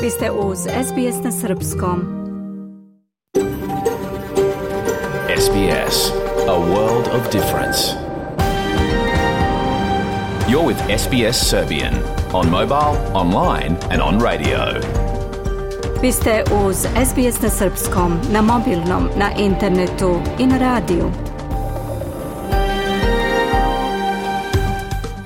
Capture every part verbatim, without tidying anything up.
Vi ste uz S B S na srpskom. S B S, a world of difference. You're with S B S Serbian on mobile, online and on radio. Vi ste uz S B S na srpskom, na mobilnom, na internetu i na radiju.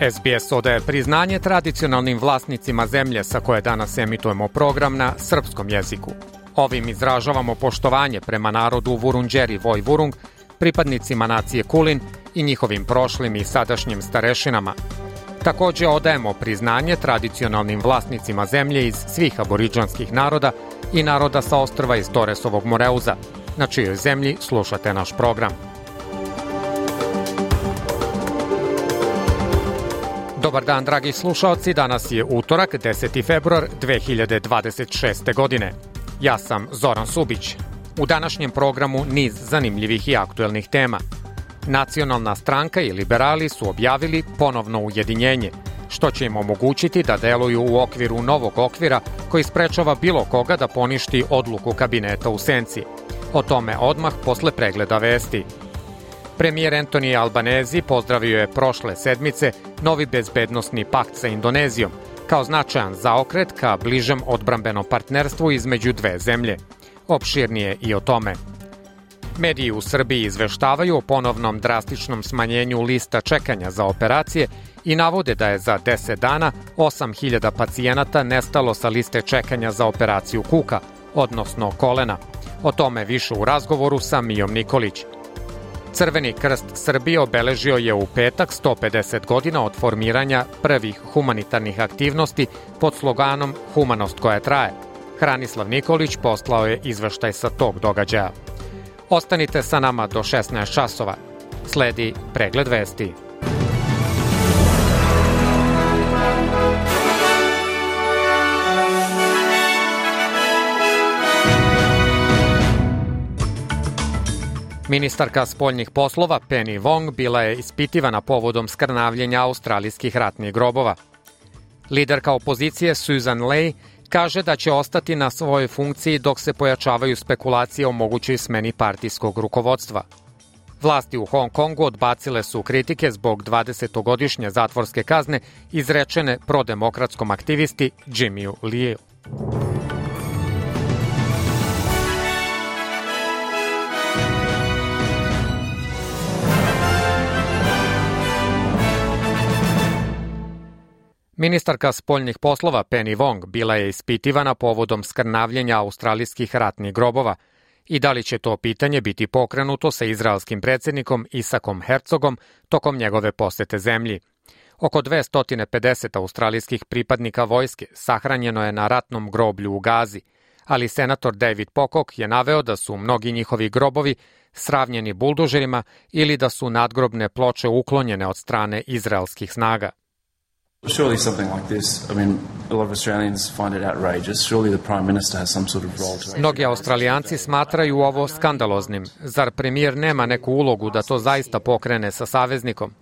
S B S odaje priznanje tradicionalnim vlasnicima zemlje sa koje danas emitujemo program na srpskom jeziku. Ovim izražavamo poštovanje prema narodu Vurundjeri Vojvurung, pripadnicima nacije Kulin i njihovim prošlim i sadašnjim starešinama. Također odajemo priznanje tradicionalnim vlasnicima zemlje iz svih aboridžanskih naroda i naroda sa ostrva iz Toresovog Moreuza, na čijoj zemlji slušate naš program. Dobar dan, dragi slušaoci, danas je utorak, deseti februar dve hiljade dvadeset šeste. godine. Ja sam Zoran Subić. U današnjem programu niz zanimljivih i aktuelnih tema. Nacionalna stranka i liberali su objavili ponovno ujedinjenje, što će im omogućiti da deluju u okviru novog okvira koji sprečava bilo koga da poništi odluku kabineta u senci. O tome odmah posle pregleda vesti. Premijer Anthony Albanese pozdravio je prošle sedmice novi bezbednosni pakt sa Indonezijom, kao značajan zaokret ka bližem odbrambenom partnerstvu između dve zemlje. Opširnije i o tome. Mediji u Srbiji izveštavaju o ponovnom drastičnom smanjenju lista čekanja za operacije i navode da je za deset dana osam hiljada pacijenata nestalo sa liste čekanja za operaciju kuka, odnosno kolena. O tome više u razgovoru sa Mijom Nikolić. Crveni krst Srbije obeležio je u petak sto pedeset godina od formiranja prvih humanitarnih aktivnosti pod sloganom Humanost koja traje. Hranislav Nikolić poslao je izveštaj sa tog događaja. Ostanite sa nama do šesnaest časova. Sledi pregled vesti. Ministarka spoljnih poslova Penny Wong bila je ispitivana povodom skrnavljenja australijskih ratnih grobova. Liderka opozicije Susan Ley kaže da će ostati na svojoj funkciji dok se pojačavaju spekulacije o mogućoj smeni partijskog rukovodstva. Vlasti u Hong Kongu odbacile su kritike zbog dvadesetogodišnje zatvorske kazne izrečene prodemokratskom aktivisti Jimmyu Liu. Ministarka spoljnih poslova Penny Wong bila je ispitivana povodom skrnavljenja australijskih ratnih grobova i da li će to pitanje biti pokrenuto sa izraelskim predsjednikom Isakom Herzogom tokom njegove posete zemlji. Oko dvesta pedeset australijskih pripadnika vojske sahranjeno je na ratnom groblju u Gazi, ali senator David Pocock je naveo da su mnogi njihovi grobovi sravnjeni buldožerima ili da su nadgrobne ploče uklonjene od strane izraelskih snaga. Surely something like this, I mean, a lot of Australians find it outrageous. Surely the Prime Minister has some sort of role to. Mnogi Australijanci smatraju ovo skandaloznim. Zar premijer nema neku ulogu da to zaista pokrene sa saveznikom?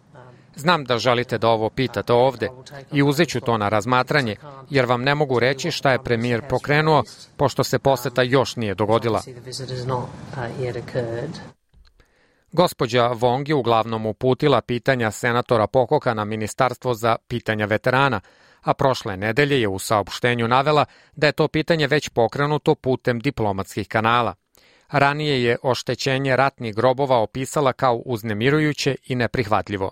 Znam da želite da ovo pitate ovde i uzet ću to na razmatranje, jer vam ne mogu reći šta je premijer pokrenuo, pošto se poseta još nije dogodila. Gospođa Wong je uglavnom uputila pitanja senatora Pococka na Ministarstvo za pitanja veterana, a prošle nedelje je u saopštenju navela da je to pitanje već pokrenuto putem diplomatskih kanala. Ranije je oštećenje ratnih grobova opisala kao uznemirujuće i neprihvatljivo.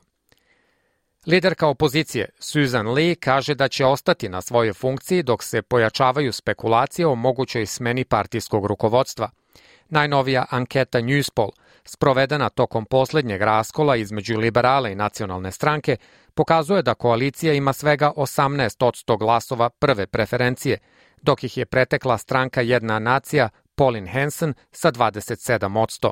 Liderka opozicije Susan Lee kaže da će ostati na svojoj funkciji dok se pojačavaju spekulacije o mogućoj smeni partijskog rukovodstva. Najnovija anketa Newspoll, sprovedena tokom posljednjeg raskola između liberala i nacionalne stranke, pokazuje da koalicija ima svega osamnaest posto glasova prve preferencije, dok ih je pretekla stranka Jedna nacija Pauline Hanson sa dvadeset sedam posto.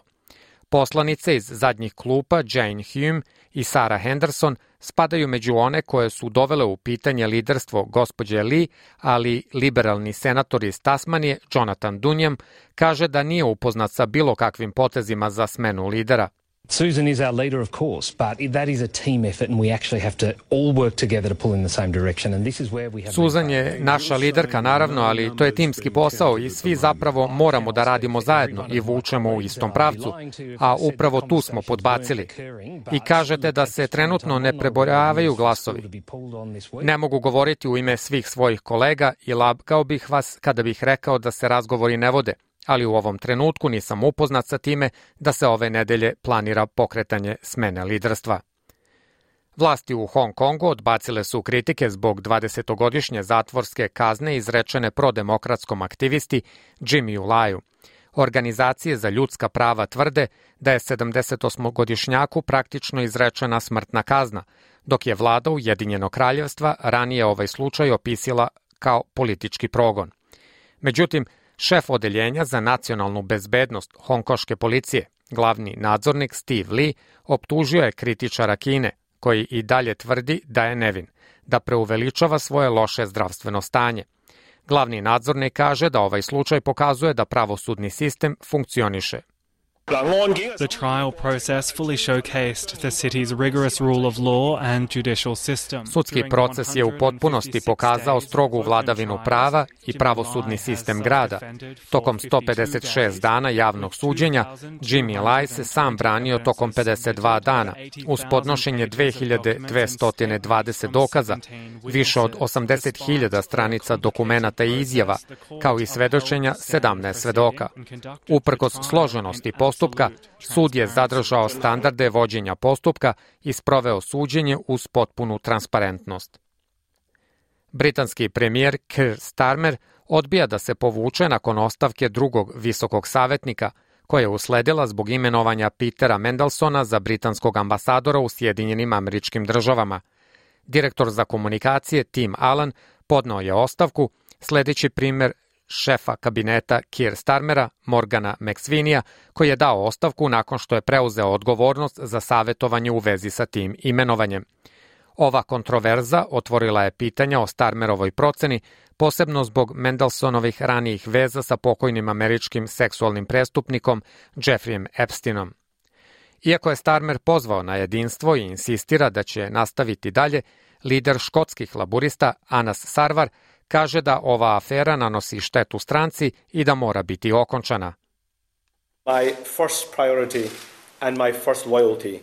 Poslanice iz zadnjih klupa Jane Hume i Sarah Henderson spadaju među one koje su dovele u pitanje liderstvo gospođe Lee, ali liberalni senator iz Tasmanije Jonathan Dunham kaže da nije upoznat sa bilo kakvim potezima za smenu lidera. Susan is our leader, of course, but that is a team effort and we actually have to all work together to pull in the same direction. And this is where we have... Susan je naša liderka, naravno, ali to je timski posao i svi zapravo moramo da radimo zajedno i vučemo u istom pravcu, a upravo tu smo podbacili. I kažete da se trenutno ne prebrojavaju glasovi. Ne mogu govoriti u ime svih svojih kolega i lagao bih vas kada bih rekao da se razgovori ne vode, ali u ovom trenutku nisam upoznat sa time da se ove nedelje planira pokretanje smene liderstva. Vlasti u Hong Kongu odbacile su kritike zbog dvadesetogodišnje zatvorske kazne izrečene prodemokratskom aktivisti Jimmyu Laju. Organizacije za ljudska prava tvrde da je sedamdesetosmogodišnjaku praktično izrečena smrtna kazna, dok je vlada Ujedinjenog kraljevstva ranije ovaj slučaj opisala kao politički progon. Međutim, šef odeljenja za nacionalnu bezbednost hongkoške policije, glavni nadzornik Steve Lee, optužio je kritičara Kine, koji i dalje tvrdi da je nevin, da preuveličava svoje loše zdravstveno stanje. Glavni nadzornik kaže da ovaj slučaj pokazuje da pravosudni sistem funkcioniše. The trial process fully showcased the city's rigorous rule of law and judicial system. Sudski proces je u potpunosti pokazao strogu vladavinu prava i pravosudni sistem grada. Tokom sto pedeset šest dana javnog suđenja, Jimmy Lai se sam branio tokom pedeset dva dana, uz podnošenje dve hiljade dvesta dvadeset dokaza, više od osamdeset hiljada stranica dokumenata i izjava, kao i svedočenja sedamnaest svedoka. Uprkos složenosti postupka, sud je zadržao standarde vođenja postupka i sproveo suđenje uz potpunu transparentnost. Britanski premijer Keir Starmer odbija da se povuče nakon ostavke drugog visokog savjetnika, koja je usledila zbog imenovanja Petera Mandelsona za britanskog ambasadora u Sjedinjenim Američkim Državama. Direktor za komunikacije Tim Allen podneo je ostavku, sledeći primer šefa kabineta Keir Starmera, Morgana McSweeneya, koji je dao ostavku nakon što je preuzeo odgovornost za savjetovanje u vezi sa tim imenovanjem. Ova kontroverza otvorila je pitanja o Starmerovoj proceni, posebno zbog Mandelsonovih ranijih veza sa pokojnim američkim seksualnim prestupnikom Jeffreyem Epsteinom. Iako je Starmer pozvao na jedinstvo i insistira da će nastaviti dalje, lider škotskih laburista Anas Sarwar kaže da ova afera nanosi štetu stranci i da mora biti okončana. My first priority and my first loyalty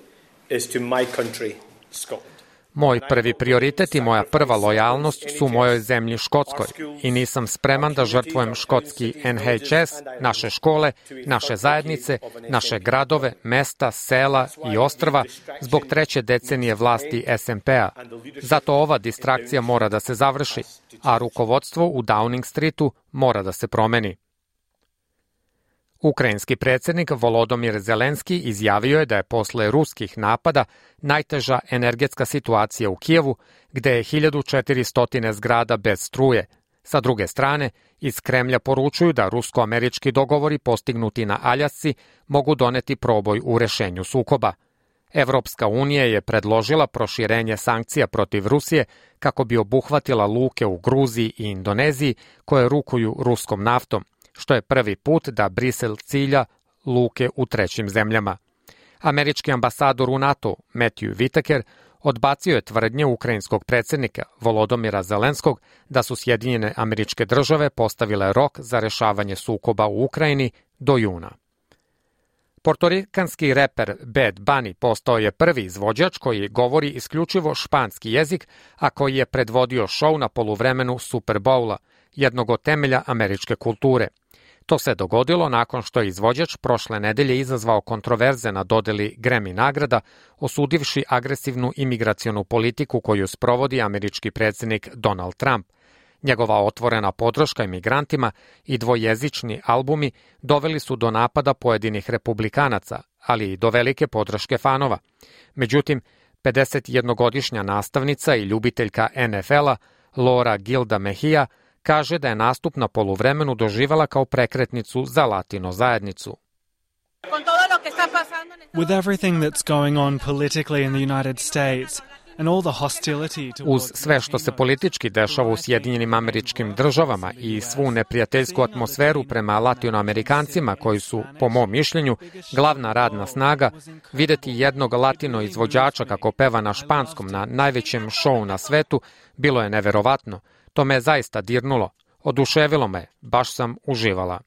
is to my country, Scotland. Moj prvi prioritet i moja prva lojalnost su mojoj zemlji Škotskoj i nisam spreman da žrtvujem škotski N H S, naše škole, naše zajednice, naše gradove, mesta, sela i ostrva zbog treće decenije vlasti S N P-a. Zato ova distrakcija mora da se završi, a rukovodstvo u Downing Streetu mora da se promeni. Ukrajinski predsjednik Volodymyr Zelenski izjavio je da je posle ruskih napada najteža energetska situacija u Kijevu, gde je hiljadu četiristo zgrada bez struje. Sa druge strane, iz Kremlja poručuju da rusko-američki dogovori postignuti na Aljasci mogu doneti proboj u rešenju sukoba. Evropska unija je predložila proširenje sankcija protiv Rusije kako bi obuhvatila luke u Gruziji i Indoneziji koje rukuju ruskom naftom, što je prvi put da Brisel cilja luke u trećim zemljama. Američki ambasador u NATO, Matthew Whitaker, odbacio je tvrdnje ukrajinskog predsjednika Volodymyra Zelenskog da su Sjedinjene Američke Države postavile rok za rešavanje sukoba u Ukrajini do juna. Portorikanski reper Bad Bunny postao je prvi izvođač koji govori isključivo španski jezik, a koji je predvodio šou na poluvremenu Super Bowla, jednog od temelja američke kulture. To se dogodilo nakon što je izvođač prošle nedelje izazvao kontroverze na dodeli Grammy nagrada, osudivši agresivnu imigracionu politiku koju sprovodi američki predsjednik Donald Trump. Njegova otvorena podrška imigrantima i dvojezični albumi doveli su do napada pojedinih republikanaca, ali i do velike podrške fanova. Međutim, pedesetjednogodišnja nastavnica i ljubiteljka N F L-a Laura Gilda Mejia kaže da je nastup na poluvremenu doživela kao prekretnicu za latino zajednicu. With everything that's going on politically in the United States, and all the hostility Uz sve što se politički dešava u Sjedinjenim Američkim Državama i svu neprijateljsku atmosferu prema latinoamerikancima koji su, po mom mišljenju, glavna radna snaga, videti jednog latino izvođača kako peva na španskom na najvećem šovu na svetu bilo je neverovatno. To me je zaista dirnulo. Oduševilo me, baš sam uživala.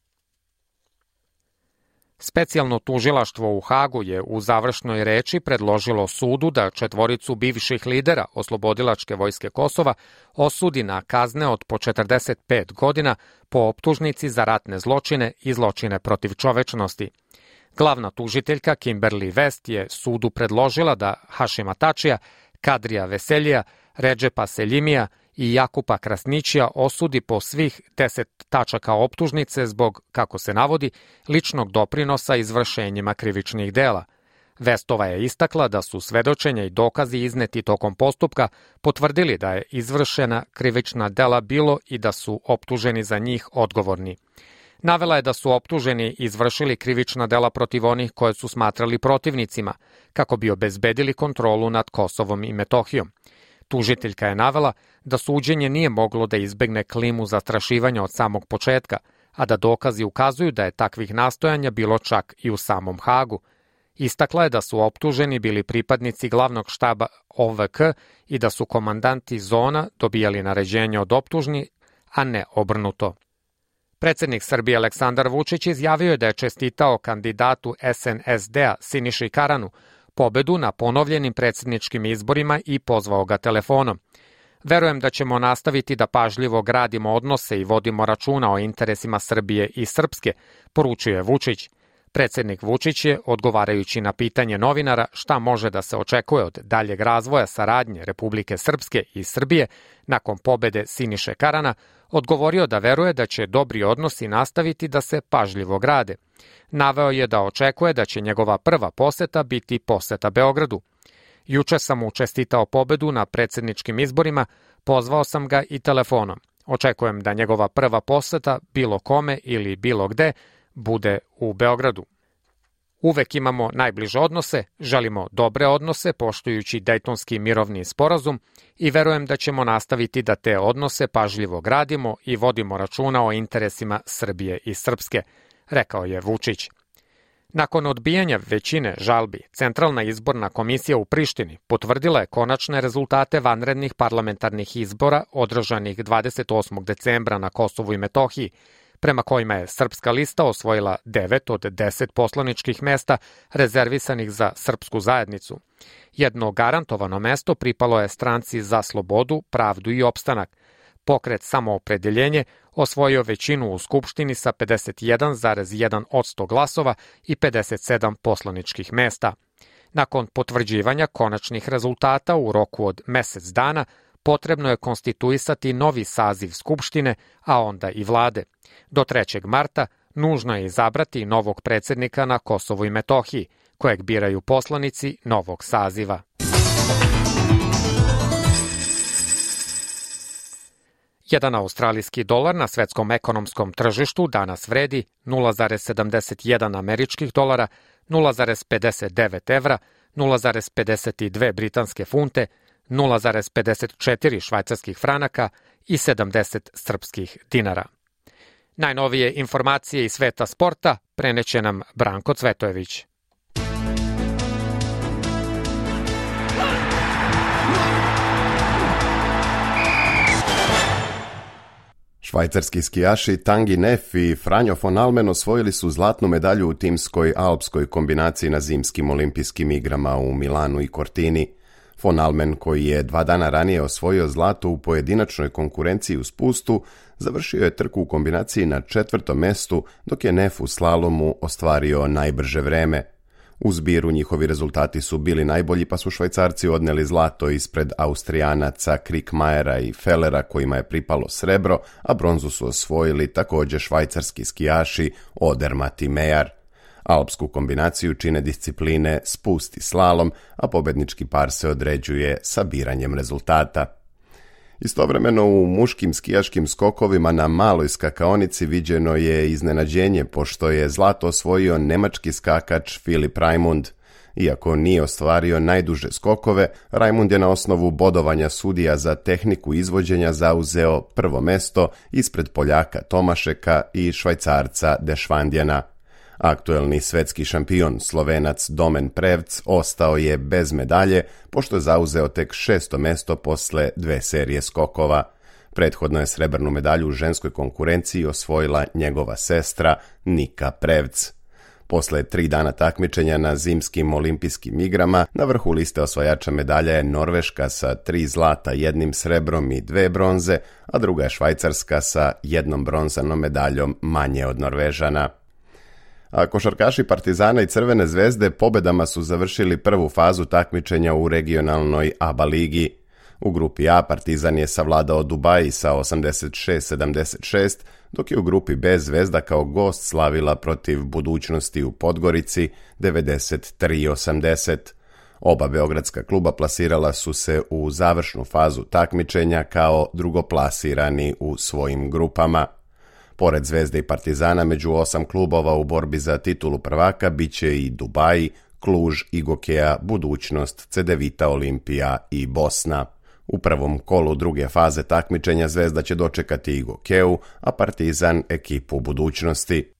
Specijalno tužilaštvo u Hagu je u završnoj reči predložilo sudu da četvoricu bivših lidera Oslobodilačke vojske Kosova osudi na kazne od po četrdeset pet godina po optužnici za ratne zločine i zločine protiv čovečnosti. Glavna tužiteljka Kimberly West je sudu predložila da Hašima Tačija, Kadrija Veseljija, Redžepa Seljimija i Jakupa Krasnićija osudi po svih deset tačaka optužnice zbog, kako se navodi, ličnog doprinosa izvršenjima krivičnih dela. Vestova je istakla da su svedočenja i dokazi izneti tokom postupka potvrdili da je izvršena krivična dela bilo i da su optuženi za njih odgovorni. Navela je da su optuženi izvršili krivična dela protiv onih koje su smatrali protivnicima, kako bi obezbedili kontrolu nad Kosovom i Metohijom. Tužiteljka je navela da suđenje nije moglo da izbegne klimu zastrašivanja od samog početka, a da dokazi ukazuju da je takvih nastojanja bilo čak i u samom Hagu. Istakla je da su optuženi bili pripadnici glavnog štaba O V K i da su komandanti zona dobijali naređenje od optužni, a ne obrnuto. Predsednik Srbije Aleksandar Vučić izjavio je da je čestitao kandidatu S N S D-a Siniši Karanu pobedu na ponovljenim predsedničkim izborima i pozvao ga telefonom. Verujem da ćemo nastaviti da pažljivo gradimo odnose i vodimo računa o interesima Srbije i Srpske, poručio je Vučić. Predsednik Vučić je, odgovarajući na pitanje novinara šta može da se očekuje od daljeg razvoja saradnje Republike Srpske i Srbije nakon pobede Siniše Karana, odgovorio da veruje da će dobri odnosi nastaviti da se pažljivo grade. Naveo je da očekuje da će njegova prva poseta biti poseta Beogradu. Juče sam mu čestitao pobedu na predsedničkim izborima, pozvao sam ga i telefonom. Očekujem da njegova prva poseta, bilo kome ili bilo gde, bude u Beogradu. Uvek imamo najbliže odnose, želimo dobre odnose poštujući Dejtonski mirovni sporazum i verujem da ćemo nastaviti da te odnose pažljivo gradimo i vodimo računa o interesima Srbije i Srpske, rekao je Vučić. Nakon odbijanja većine žalbi, Centralna izborna komisija u Prištini potvrdila je konačne rezultate vanrednih parlamentarnih izbora održanih dvadeset osmog decembra na Kosovu i Metohiji, prema kojima je Srpska lista osvojila devet od deset poslaničkih mesta rezervisanih za srpsku zajednicu. Jedno garantovano mesto pripalo je stranci Za slobodu, pravdu i opstanak. Pokret Samoopredeljenje osvojio većinu u Skupštini sa pedeset jedan zarez jedan posto glasova i pedeset sedam poslaničkih mesta. Nakon potvrđivanja konačnih rezultata u roku od mesec dana, potrebno je konstituisati novi saziv Skupštine, a onda i vlade. Do trećeg marta nužno je izabrati novog predsednika na Kosovu i Metohiji, kojeg biraju poslanici novog saziva. Jedan australijski dolar na svetskom ekonomskom tržištu danas vredi nula zarez sedamdeset jedan američkih dolara, nula zarez pedeset devet evra, nula zarez pedeset dve britanske funte, nula zarez pedeset četiri švajcarskih franaka i sedamdeset srpskih dinara. Najnovije informacije iz sveta sporta preneće nam Branko Cvetojević. Švajcarski skijaši Tanguy Neff i Franjo von Almen osvojili su zlatnu medalju u timskoj alpskoj kombinaciji na zimskim olimpijskim igrama u Milanu i Cortini. Von Almen, koji je dva dana ranije osvojio zlato u pojedinačnoj konkurenciji u spustu, završio je trku u kombinaciji na četvrtom mestu, dok je Neff u slalomu ostvario najbrže vreme. U zbiru njihovi rezultati su bili najbolji, pa su Švajcarci odneli zlato ispred Austrijanaca Krikmajera i Fellera, kojima je pripalo srebro, a bronzu su osvojili također švajcarski skijaši Odermatt i Mejar. Alpsku kombinaciju čine discipline spust i slalom, a pobednički par se određuje sabiranjem rezultata. Istovremeno u muškim skijaškim skokovima na maloj skakaonici viđeno je iznenađenje, pošto je zlato osvojio nemački skakač Filip Raimund. Iako nije ostvario najduže skokove, Raimund je na osnovu bodovanja sudija za tehniku izvođenja zauzeo prvo mesto ispred Poljaka Tomašeka i Švajcarca Dešvandjena. Aktuelni svetski šampion Slovenac Domen Prevc ostao je bez medalje, pošto je zauzeo tek šesto mesto posle dve serije skokova. Prethodno je srebrnu medalju u ženskoj konkurenciji osvojila njegova sestra Nika Prevc. Posle tri dana takmičenja na zimskim olimpijskim igrama, na vrhu liste osvajača medalja je Norveška sa tri zlata, jednim srebrom i dve bronze, a druga je Švajcarska sa jednom bronzanom medaljom manje od Norvežana. A košarkaši Partizana i Crvene zvezde pobedama su završili prvu fazu takmičenja u regionalnoj A B A ligi. U grupi A Partizan je savladao Dubai sa osamdeset šest sedamdeset šest, dok je u grupi B Zvezda kao gost slavila protiv Budućnosti u Podgorici devedeset tri osamdeset. Oba beogradska kluba plasirala su se u završnu fazu takmičenja kao drugoplasirani u svojim grupama. Pored Zvezde i Partizana, među osam klubova u borbi za titulu prvaka biće i Dubai, Kluž, Igokea, Budućnost, Cedevita, Olimpija i Bosna. U prvom kolu druge faze takmičenja Zvezda će dočekati Igokeu, a Partizan ekipu Budućnosti.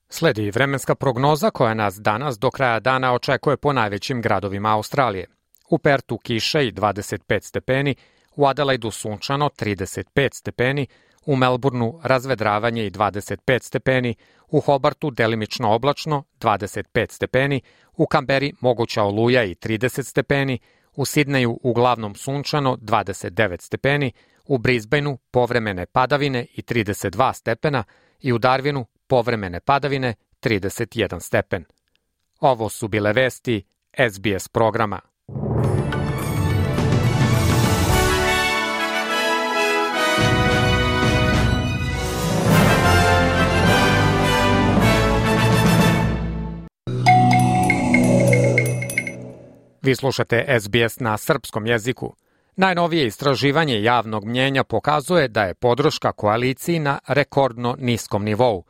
Sledi vremenska prognoza koja nas danas do kraja dana očekuje po najvećim gradovima Australije. U Pertu kiša i dvadeset pet stepeni, u Adelaidu sunčano trideset pet stepeni, u Melbourneu razvedravanje i dvadeset pet stepeni, u Hobartu delimično oblačno dvadeset pet stepeni, u Kamberi moguća oluja i trideset stepeni, u Sidneju uglavnom sunčano dvadeset devet stepeni, u Brisbaneu povremene padavine i trideset dva stepena i u Darwinu povremene padavine trideset jedan stepen. Ovo su bile vesti S B S programa. Vi slušate S B S na srpskom jeziku. Najnovije istraživanje javnog mnjenja pokazuje da je podrška koaliciji na rekordno niskom nivou,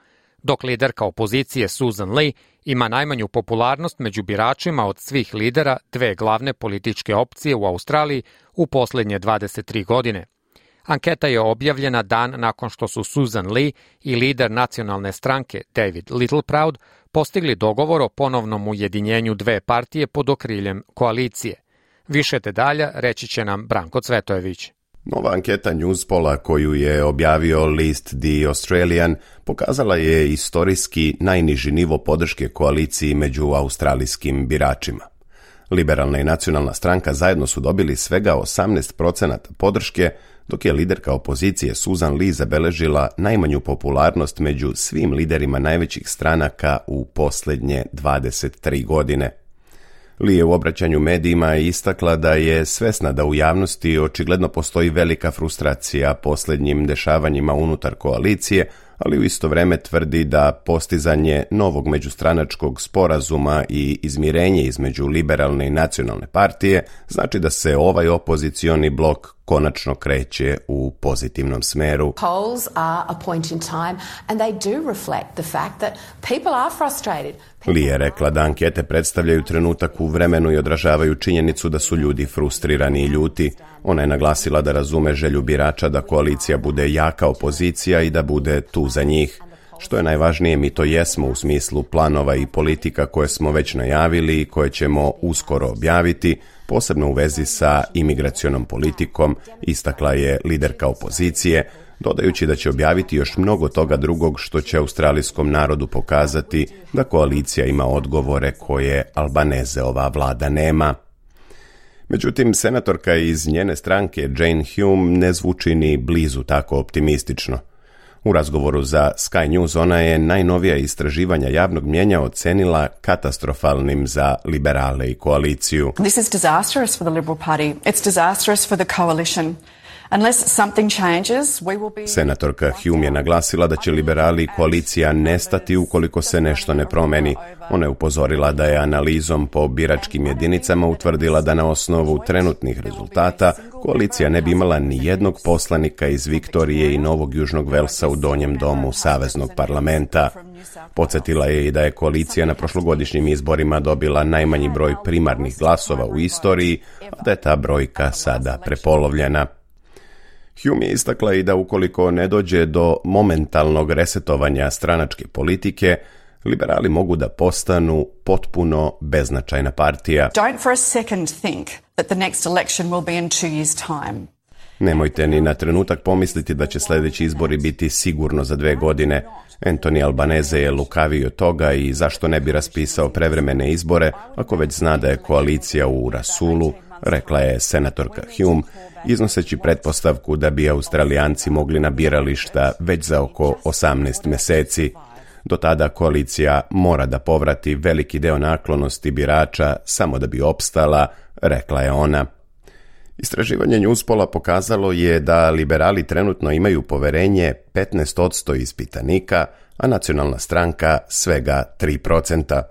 dok liderka opozicije Susan Lee ima najmanju popularnost među biračima od svih lidera dve glavne političke opcije u Australiji u poslednje dvadeset tri godine. Anketa je objavljena dan nakon što su Susan Lee i lider nacionalne stranke David Littleproud postigli dogovor o ponovnom ujedinjenju dve partije pod okriljem koalicije. Više detalja reći će nam Branko Cvetojević. Nova anketa Newspola koju je objavio list The Australian pokazala je istorijski najniži nivo podrške koaliciji među australijskim biračima. Liberalna i nacionalna stranka zajedno su dobili svega osamnaest procenata podrške, dok je liderka opozicije Susan Lee zabeležila najmanju popularnost među svim liderima najvećih stranaka u posljednje dvadeset tri godine. Lee je u obraćanju medijima istakla da je svesna da u javnosti očigledno postoji velika frustracija posljednjim dešavanjima unutar koalicije, ali u isto vreme tvrdi da postizanje novog međustranačkog sporazuma i izmirenje između liberalne i nacionalne partije znači da se ovaj opozicioni blok konačno kreće u pozitivnom smeru. Polls are a point in time and they do reflect the fact that people are frustrated. Lee je rekla da ankete predstavljaju trenutak u vremenu i odražavaju činjenicu da su ljudi frustrirani i ljuti. Ona je naglasila da razume želju birača da koalicija bude jaka opozicija i da bude tu za njih. Što je najvažnije, mi to jesmo u smislu planova i politika koje smo već najavili i koje ćemo uskoro objaviti, posebno u vezi sa imigracionom politikom, istakla je liderka opozicije, dodajući da će objaviti još mnogo toga drugog što će australijskom narodu pokazati da koalicija ima odgovore koje Albanezeova vlada nema. Međutim, senatorka iz njene stranke Jane Hume ne zvuči ni blizu tako optimistično. U razgovoru za Sky News ona je najnovija istraživanja javnog mnjenja ocenila katastrofalnim za liberale i koaliciju. This is disastrous for the Liberal Party. It's disastrous for the coalition. Senatorka Hume je naglasila da će liberali i koalicija nestati ukoliko se nešto ne promeni. Ona je upozorila da je analizom po biračkim jedinicama utvrdila da na osnovu trenutnih rezultata koalicija ne bi imala ni jednog poslanika iz Viktorije i Novog Južnog Velsa u donjem domu Saveznog parlamenta. Podsjetila je i da je koalicija na prošlogodišnjim izborima dobila najmanji broj primarnih glasova u istoriji, a da je ta brojka sada prepolovljena. Hume je istakla i da ukoliko ne dođe do momentalnog resetovanja stranačke politike, liberali mogu da postanu potpuno beznačajna partija. Don't for a second think that the next election will be in two years' time. Nemojte ni na trenutak pomisliti da će sljedeći izbori biti sigurno za dve godine. Anthony Albanese je lukavio od toga i zašto ne bi raspisao prevremene izbore ako već zna da je koalicija u rasulu, rekla je senatorka Hume, iznoseći pretpostavku da bi Australijanci mogli na birališta već za oko osamnaest mjeseci. Do tada koalicija mora da povrati veliki deo naklonosti birača samo da bi opstala, rekla je ona. Istraživanje Newspola pokazalo je da liberali trenutno imaju poverenje petnaest posto ispitanika, a nacionalna stranka svega tri procenta.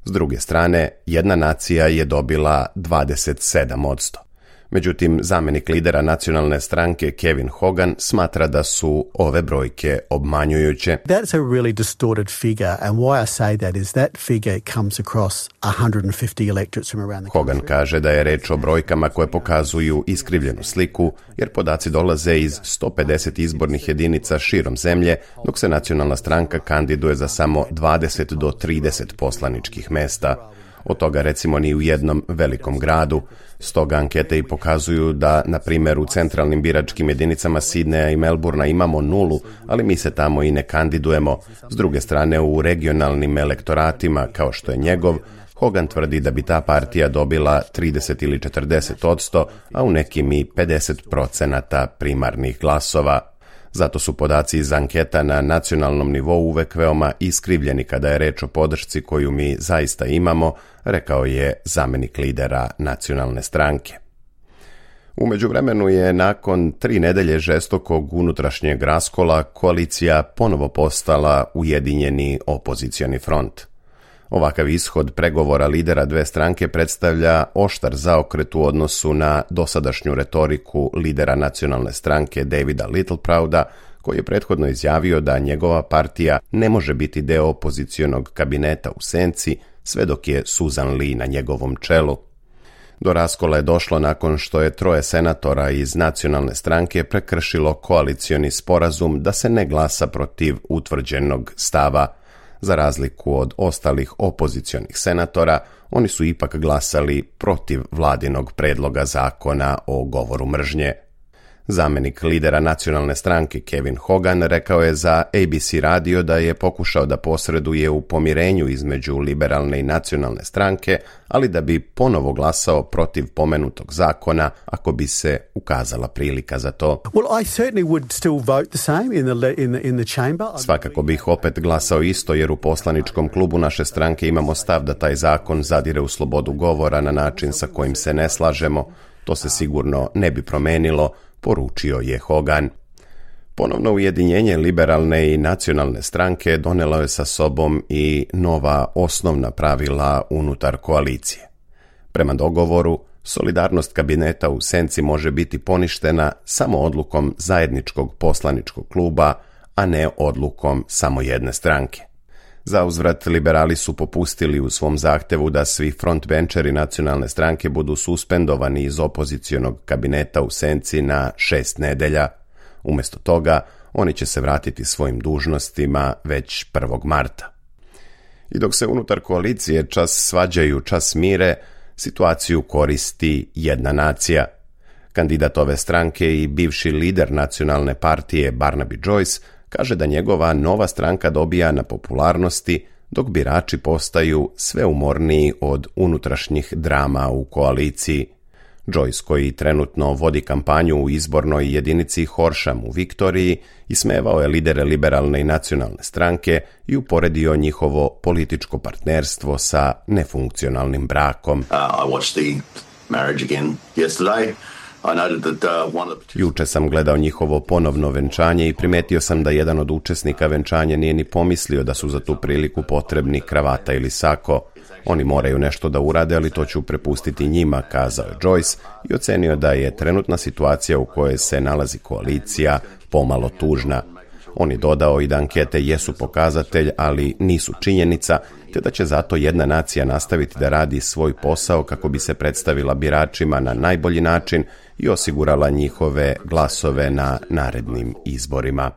S druge strane, jedna nacija je dobila dvadeset sedam posto. Međutim, zamjenik lidera nacionalne stranke Kevin Hogan smatra da su ove brojke obmanjujuće. That's a really distorted figure, and why I say that is that figure comes across one hundred fifty electorates from around the country. Hogan kaže da je reč o brojkama koje pokazuju iskrivljenu sliku, jer podaci dolaze iz sto pedeset izbornih jedinica širom zemlje, dok se nacionalna stranka kandiduje za samo dvadeset do trideset poslaničkih mesta. Od toga recimo ni u jednom velikom gradu. Stoga ankete i pokazuju da, na primjer, u centralnim biračkim jedinicama Sidneya i Melbournea imamo nulu, ali mi se tamo i ne kandidujemo. S druge strane, u regionalnim elektoratima, kao što je njegov, Hogan tvrdi da bi ta partija dobila trideset ili četrdeset posto, a u nekim i pedeset procenata primarnih glasova. Zato su podaci iz anketa na nacionalnom nivou uvek veoma iskrivljeni kada je reč o podršci koju mi zaista imamo, rekao je zamjenik lidera nacionalne stranke. U međuvremenu je nakon tri nedelje žestokog unutrašnjeg raskola koalicija ponovo postala ujedinjeni opozicioni front. Ovakav ishod pregovora lidera dve stranke predstavlja oštar zaokret u odnosu na dosadašnju retoriku lidera nacionalne stranke Davida Littleprouda, koji je prethodno izjavio da njegova partija ne može biti deo opozicionog kabineta u senci sve dok je Susan Lee na njegovom čelu. Do raskola je došlo nakon što je troje senatora iz nacionalne stranke prekršilo koalicioni sporazum da se ne glasa protiv utvrđenog stava. Za razliku od ostalih opozicionih senatora, oni su ipak glasali protiv vladinog predloga zakona o govoru mržnje. Zamjenik lidera nacionalne stranke Kevin Hogan rekao je za A B C radio da je pokušao da posreduje u pomirenju između liberalne i nacionalne stranke, ali da bi ponovo glasao protiv pomenutog zakona ako bi se ukazala prilika za to. Well, I certainly would still vote the same in the in the in the chamber. Svakako bih opet glasao isto, jer u poslaničkom klubu naše stranke imamo stav da taj zakon zadire u slobodu govora na način sa kojim se ne slažemo. To se sigurno ne bi promenilo, poručio je Hogan. Ponovno ujedinjenje liberalne i nacionalne stranke donelo je sa sobom i nova osnovna pravila unutar koalicije. Prema dogovoru, solidarnost kabineta u senci može biti poništena samo odlukom zajedničkog poslaničkog kluba, a ne odlukom samo jedne stranke. Zauzvrat, liberali su popustili u svom zahtevu da svi frontbencheri nacionalne stranke budu suspendovani iz opozicionog kabineta u senci na šest nedelja. Umjesto toga, oni će se vratiti svojim dužnostima već prvog marta. I dok se unutar koalicije čas svađaju, čas mire, situaciju koristi jedna nacija. Kandidat ove stranke i bivši lider nacionalne partije Barnaby Joyce kaže da njegova nova stranka dobija na popularnosti, dok birači postaju sve umorniji od unutrašnjih drama u koaliciji. Joyce, koji trenutno vodi kampanju u izbornoj jedinici Horsham u Viktoriji, ismevao je lidere liberalne i nacionalne stranke i uporedio njihovo političko partnerstvo sa nefunkcionalnim brakom. Uh, I watched the marriage again yesterday. Juče sam gledao njihovo ponovno venčanje i primetio sam da jedan od učesnika venčanja nije ni pomislio da su za tu priliku potrebni kravata ili sako. Oni moraju nešto da urade, ali to ću prepustiti njima, kazao je Joyce i ocenio da je trenutna situacija u kojoj se nalazi koalicija pomalo tužna. On je dodao i da ankete jesu pokazatelj, ali nisu činjenica, te da će zato jedna nacija nastaviti da radi svoj posao kako bi se predstavila biračima na najbolji način i osigurala njihove glasove na narednim izborima.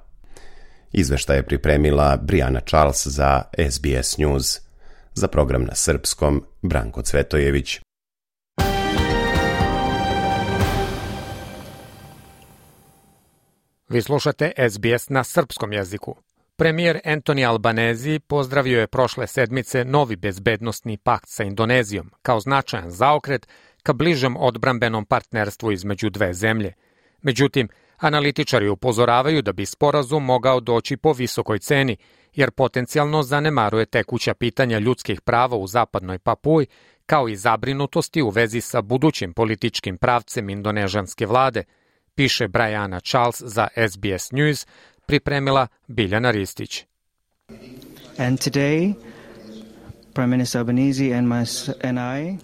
Izveštaj je pripremila Brijana Charles za S B S News. Za program na srpskom, Branko Cvetojević. Vi slušate S B S na srpskom jeziku. Premijer Anthony Albanese pozdravio je prošle sedmice novi bezbednosni pakt sa Indonezijom kao značajan zaokret ka bližem odbrambenom partnerstvu između dve zemlje. Međutim, analitičari upozoravaju da bi sporazum mogao doći po visokoj ceni, jer potencijalno zanemaruje tekuća pitanja ljudskih prava u zapadnoj Papuji, kao i zabrinutosti u vezi sa budućim političkim pravcem indonežanske vlade, piše Brijana Charles za S B S News, pripremila Biljana Ristić. And today, Prime Minister Albanese and, my, and I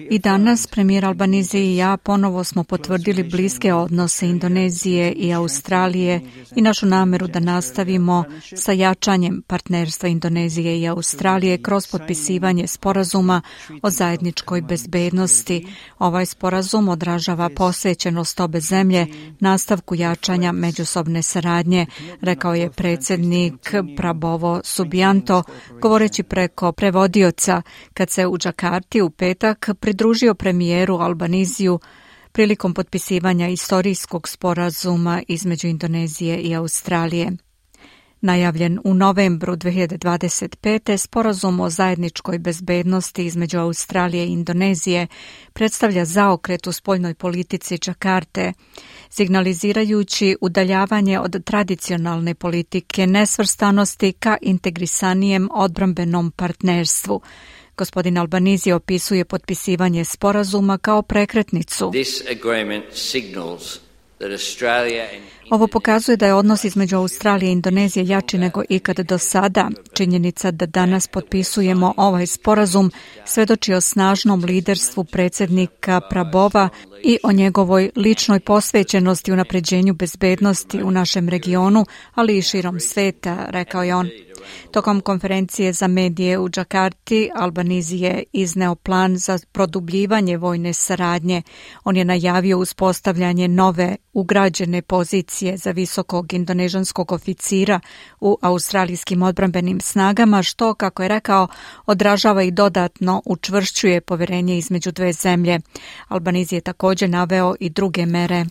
I danas premijer Albanese i ja ponovo smo potvrdili bliske odnose Indonezije i Australije i našu nameru da nastavimo sa jačanjem partnerstva Indonezije i Australije kroz potpisivanje sporazuma o zajedničkoj bezbednosti. Ovaj sporazum odražava posvećenost obe zemlje nastavku jačanja međusobne saradnje, rekao je predsjednik Prabowo Subianto, govoreći preko prevodioca kad se u Džakarti u petak pridružio premijeru Albanisiju prilikom potpisivanja istorijskog sporazuma između Indonezije i Australije. Najavljen u novembru dve hiljade dvadeset pete. sporazum o zajedničkoj bezbednosti između Australije i Indonezije predstavlja zaokret u spoljnoj politici Džakarte, signalizirajući udaljavanje od tradicionalne politike nesvrstanosti ka integrisanijem odbrambenom partnerstvu. Gospodin Albanese opisuje potpisivanje sporazuma kao prekretnicu. Ovo pokazuje da je odnos između Australije i Indonezije jači nego ikad do sada. Činjenica da danas potpisujemo ovaj sporazum svedoči o snažnom liderstvu predsjednika Prabova i o njegovoj ličnoj posvećenosti unapređenju bezbednosti u našem regionu, ali i širom sveta, rekao je on. Tokom konferencije za medije u Džakarti, Albanese je izneo plan za produbljivanje vojne saradnje. On je najavio uspostavljanje nove ugrađene pozicije za visokog indonežanskog oficira u australijskim odbrambenim snagama, što, kako je rekao, odražava i dodatno učvršćuje poverenje između dve zemlje. Albanese je također naveo i druge mere.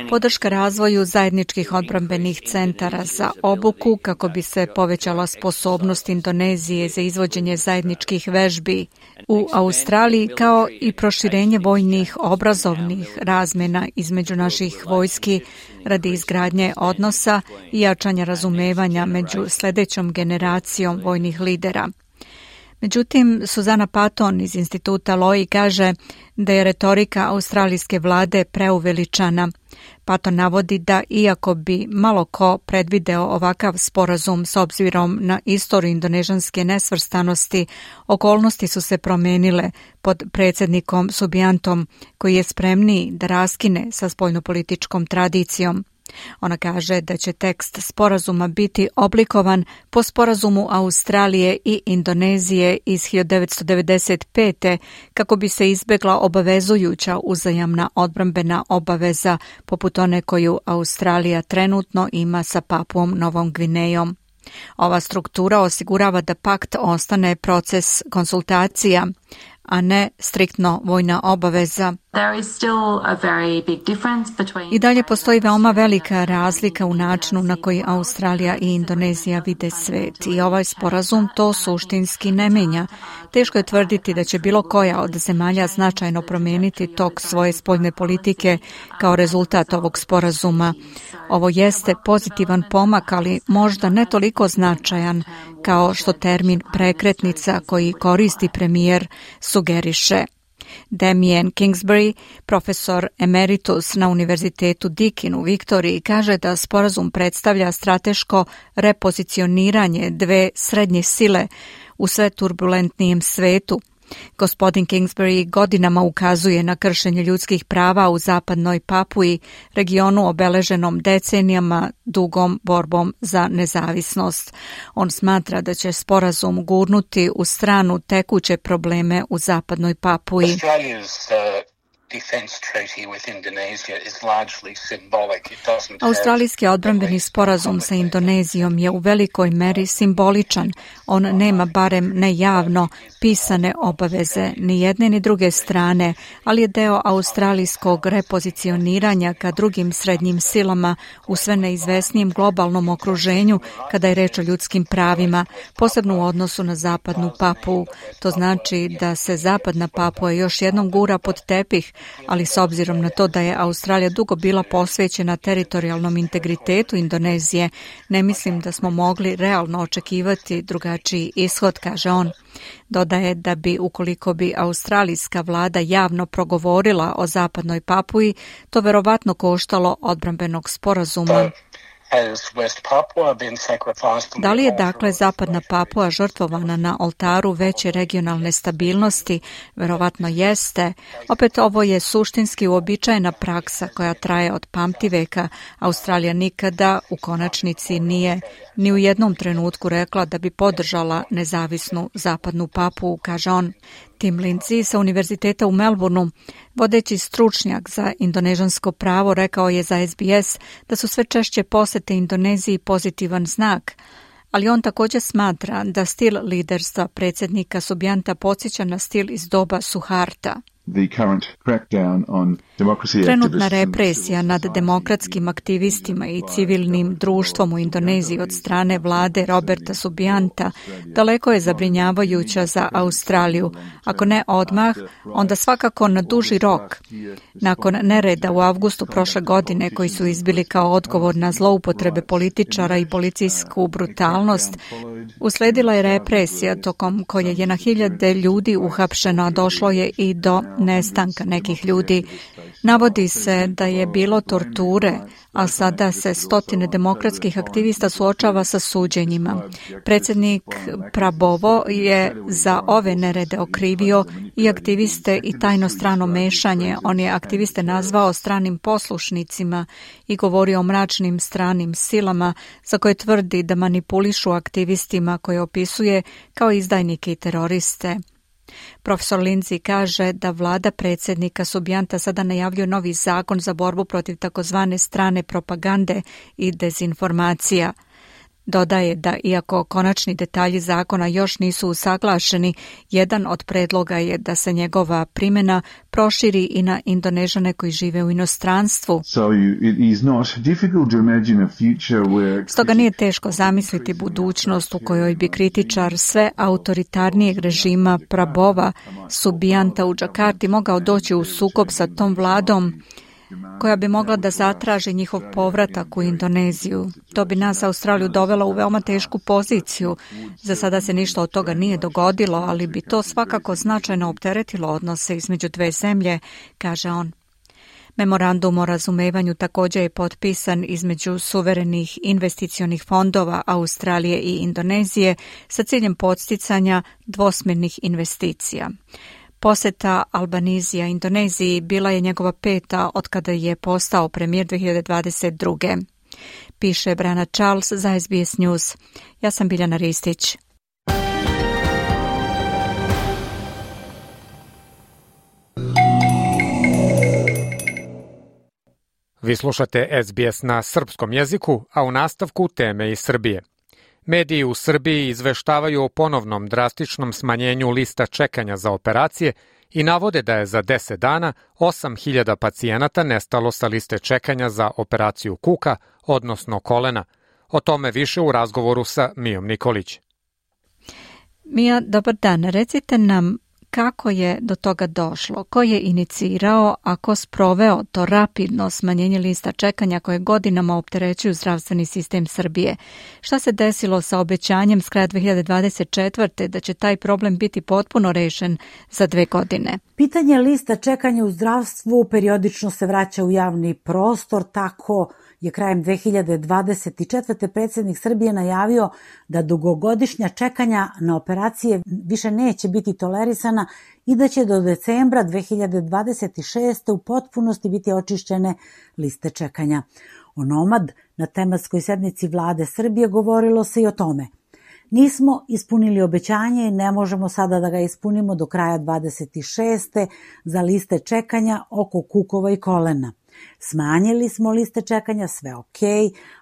Podrška razvoju zajedničkih odbrambenih centara za obuku kako bi se povećala sposobnost Indonezije za izvođenje zajedničkih vežbi u Australiji, kao i proširenje vojnih obrazovnih razmjena između naših vojski radi izgradnje odnosa i jačanja razumevanja među sljedećom generacijom vojnih lidera. Međutim, Suzana Patton iz instituta Lowy kaže da je retorika australijske vlade preuveličana. Patton navodi da iako bi malo ko predvideo ovakav sporazum s obzirom na istoriju indonežanske nesvrstanosti, okolnosti su se promenile pod predsjednikom Subiantom, koji je spremniji da raskine sa spoljnopolitičkom tradicijom. Ona kaže da će tekst sporazuma biti oblikovan po sporazumu Australije i Indonezije iz hiljadu devetsto devedeset pete. kako bi se izbjegla obavezujuća uzajamna odbrambena obaveza poput one koju Australija trenutno ima sa Papuom Novom Gvinejom. Ova struktura osigurava da pakt ostane proces konsultacija, a ne striktno vojna obaveza. I dalje postoji veoma velika razlika u načinu na koji Australija i Indonezija vide svet i ovaj sporazum to suštinski ne menja. Teško je tvrditi da će bilo koja od zemalja značajno promijeniti tok svoje spoljne politike kao rezultat ovog sporazuma. Ovo jeste pozitivan pomak, ali možda ne toliko značajan kao što termin prekretnica koji koristi premijer sugeriše. Damien Kingsbury, profesor emeritus na Univerzitetu Deakin u Viktoriji, kaže da sporazum predstavlja strateško repozicioniranje dve srednje sile u sve turbulentnijem svetu. Gospodin Kingsbury godinama ukazuje na kršenje ljudskih prava u zapadnoj Papuji, regionu obeleženom decenijama dugom borbom za nezavisnost. On smatra da će sporazum gurnuti u stranu tekuće probleme u zapadnoj Papuji. Australijski odbrambeni sporazum sa Indonezijom je u velikoj meri simboličan. On nema, barem ne javno, pisane obaveze ni jedne ni druge strane, ali je deo australijskog repozicioniranja ka drugim srednjim silama u sve neizvesnijem globalnom okruženju kada je reč o ljudskim pravima, posebno u odnosu na zapadnu Papuu. To znači da se zapadna Papua još jednom gura pod tepih, ali s obzirom na to da je Australija dugo bila posvećena teritorijalnom integritetu Indonezije, ne mislim da smo mogli realno očekivati drugačiji ishod, kaže on. Dodaje da bi, ukoliko bi australijska vlada javno progovorila o zapadnoj Papui, to verovatno koštalo odbrambenog sporazuma. Da li je dakle zapadna Papua žrtvovana na oltaru veće regionalne stabilnosti? Verovatno jeste. Opet ovo je suštinski uobičajena praksa koja traje od pamtiveka. Australija nikada u konačnici nije ni u jednom trenutku rekla da bi podržala nezavisnu zapadnu Papuu, kaže on. Tim Lindsay sa Univerziteta u Melbourneu, vodeći stručnjak za indonežansko pravo, rekao je za S B S da su sve češće posete Indoneziji pozitivan znak, ali on također smatra da stil liderstva predsjednika Subianta podsjeća na stil iz doba Suharta. Trenutna represija nad demokratskim aktivistima i civilnim društvom u Indoneziji od strane vlade Roberta Subianta daleko je zabrinjavajuća za Australiju. Ako ne odmah, onda svakako na duži rok. Nakon nereda u avgustu prošle godine koji su izbili kao odgovor na zloupotrebe političara i policijsku brutalnost, usledila je represija tokom koje je na hiljade ljudi uhapšeno, a došlo je i do nestanka nekih ljudi. Navodi se da je bilo torture, a sada se stotine demokratskih aktivista suočava sa suđenjima. Predsjednik Prabowo je za ove nerede okrivio i aktiviste i tajno strano mešanje. On je aktiviste nazvao stranim poslušnicima i govorio o mračnim stranim silama za koje tvrdi da manipulišu aktivistima koje opisuje kao izdajnike i teroriste. Profesor Lindsay kaže da vlada predsjednika Subianta sada najavljuje novi zakon za borbu protiv takozvane strane propagande i dezinformacija. Dodaje da iako konačni detalji zakona još nisu usaglašeni, jedan od predloga je da se njegova primjena proširi i na Indonežane koji žive u inostranstvu. Stoga nije teško zamisliti budućnost u kojoj bi kritičar sve autoritarnijeg režima Prabova Subianta u Džakarti mogao doći u sukob sa tom vladom koja bi mogla da zatraži njihov povratak u Indoneziju. To bi nas Australiju dovelo u veoma tešku poziciju. Za sada se ništa od toga nije dogodilo, ali bi to svakako značajno opteretilo odnose između dve zemlje, kaže on. Memorandum o razumevanju također je potpisan između suverenih investicionih fondova Australije i Indonezije sa ciljem podsticanja dvosmjernih investicija. Posjeta Albanizija Indoneziji bila je njegova peta od kada je postao premijer dvije hiljade dvadeset druge. Piše Brana Charles za S B S News. Ja sam Biljana Ristić. Vi slušate S B S na srpskom jeziku, a u nastavku teme iz Srbije. Mediji u Srbiji izveštavaju o ponovnom drastičnom smanjenju lista čekanja za operacije i navode da je za deset dana osam hiljada pacijenata nestalo sa liste čekanja za operaciju kuka, odnosno kolena. O tome više u razgovoru sa Mijom Nikolić. Mija, dobar dan. Recite nam kako je do toga došlo, ko je inicirao, a ko sproveo to rapidno smanjenje lista čekanja koje godinama opterećuju zdravstveni sistem Srbije. Šta se desilo sa obećanjem s kraja dve hiljade dvadeset četvrte da će taj problem biti potpuno rešen za dve godine? Pitanje lista čekanja u zdravstvu periodično se vraća u javni prostor, tako je krajem dve hiljade dvadeset četvrte predsjednik Srbije najavio da dugogodišnja čekanja na operacije više neće biti tolerisana i da će do decembra dve hiljade dvadeset šeste u potpunosti biti očišćene liste čekanja. Onomad na tematskoj sednici vlade Srbije govorilo se i o tome. Nismo ispunili obećanje i ne možemo sada da ga ispunimo do kraja dvadeset šeste za liste čekanja oko kukova i kolena. Smanjili smo liste čekanja, sve ok,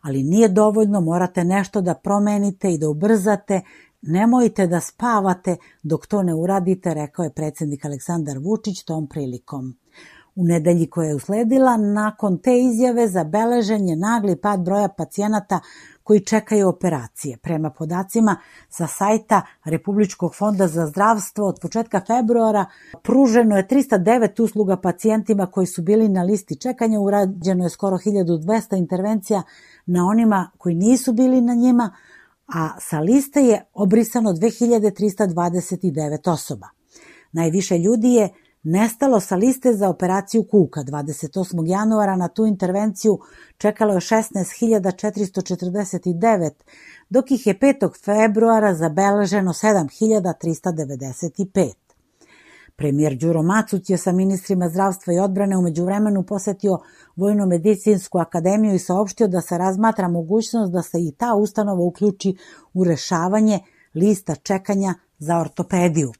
ali nije dovoljno, morate nešto da promenite i da ubrzate, nemojte da spavate dok to ne uradite, rekao je predsjednik Aleksandar Vučić tom prilikom. U nedelji koja je usledila, nakon te izjave zabeležen je nagli pad broja pacijenata koji čekaju operacije. Prema podacima sa sajta Republičkog fonda za zdravstvo od početka februara pruženo je trista devet usluga pacijentima koji su bili na listi čekanja, urađeno je skoro hiljadu dvesta intervencija na onima koji nisu bili na njima, a sa liste je obrisano dve hiljade trista dvadeset devet osoba. Najviše ljudi je nestalo sa liste za operaciju kuka. dvadeset osmog januara na tu intervenciju čekalo je šesnaest hiljada četiristo četrdeset devet, dok ih je petog februara zabeleženo sedam hiljada trista devedeset pet. Premijer Đuro Macuć je sa ministrima zdravstva i odbrane u međuvremenu posetio Vojno-medicinsku akademiju i saopštio da se razmatra mogućnost da se i ta ustanova uključi u rešavanje lista čekanja za ortopediju.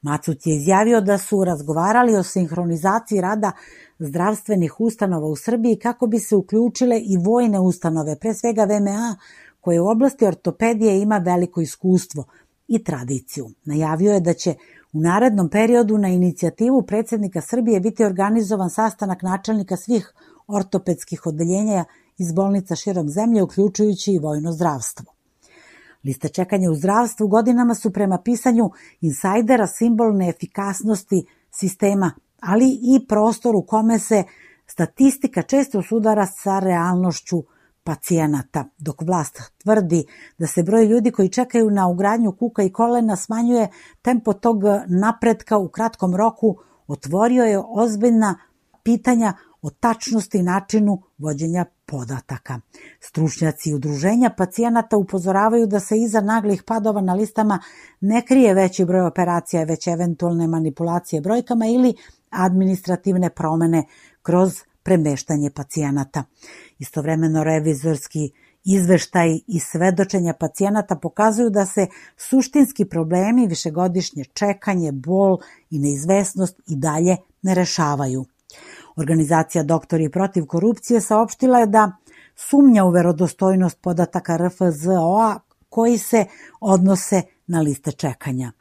Macuć je izjavio da su razgovarali o sinhronizaciji rada zdravstvenih ustanova u Srbiji kako bi se uključile i vojne ustanove, pre svega V M A, koje u oblasti ortopedije ima veliko iskustvo i tradiciju. Najavio je da će u narednom periodu na inicijativu predsjednika Srbije biti organizovan sastanak načelnika svih ortopedskih odeljenja iz bolnica širom zemlje, uključujući i vojno zdravstvo. Liste čekanja u zdravstvu godinama su prema pisanju insajdera simbol neefikasnosti sistema, ali i prostor u kome se statistika često sudara sa realnošću pacijenata. Dok vlast tvrdi da se broj ljudi koji čekaju na ugradnju kuka i kolena smanjuje, tempo tog napretka u kratkom roku otvorio je ozbiljna pitanja o tačnosti i načinu vođenja podataka. Stručnjaci udruženja pacijenata upozoravaju da se iza naglih padova na listama ne krije veći broj operacija, već eventualne manipulacije brojkama ili administrativne promene kroz premeštanje pacijenata. Istovremeno revizorski izveštaj i svedočenja pacijenata pokazuju da se suštinski problemi, višegodišnje čekanje, bol i neizvesnost i dalje ne rešavaju. Organizacija Doktori protiv korupcije saopštila je da sumnja u verodostojnost podataka R F Z O-a koji se odnose na liste čekanja.